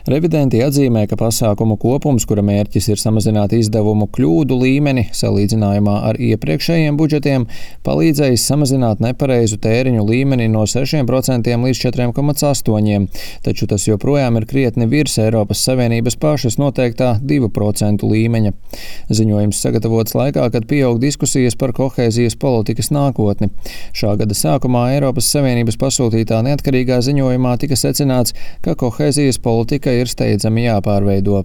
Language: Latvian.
Revidenti atzīmē, ka pasākumu kopums, kura mērķis ir samazināt izdevumu kļūdu līmeni salīdzinājumā ar iepriekšējiem budžetiem, palīdzējis samazināt nepareizu tēriņu līmeni no 6% līdz 4,8%, taču tas joprojām ir krietni virs Eiropas Savienības pašas noteiktā 2% līmeņa. Ziņojums sagatavots laikā, kad pieaug diskusijas par kohēzijas politikas nākotni. Šā gada sākumā Eiropas Savienības pasūtītā neatkarīgā ziņojumā tika secināts, ka kohēzijas politika ir steidzami jāpārveido.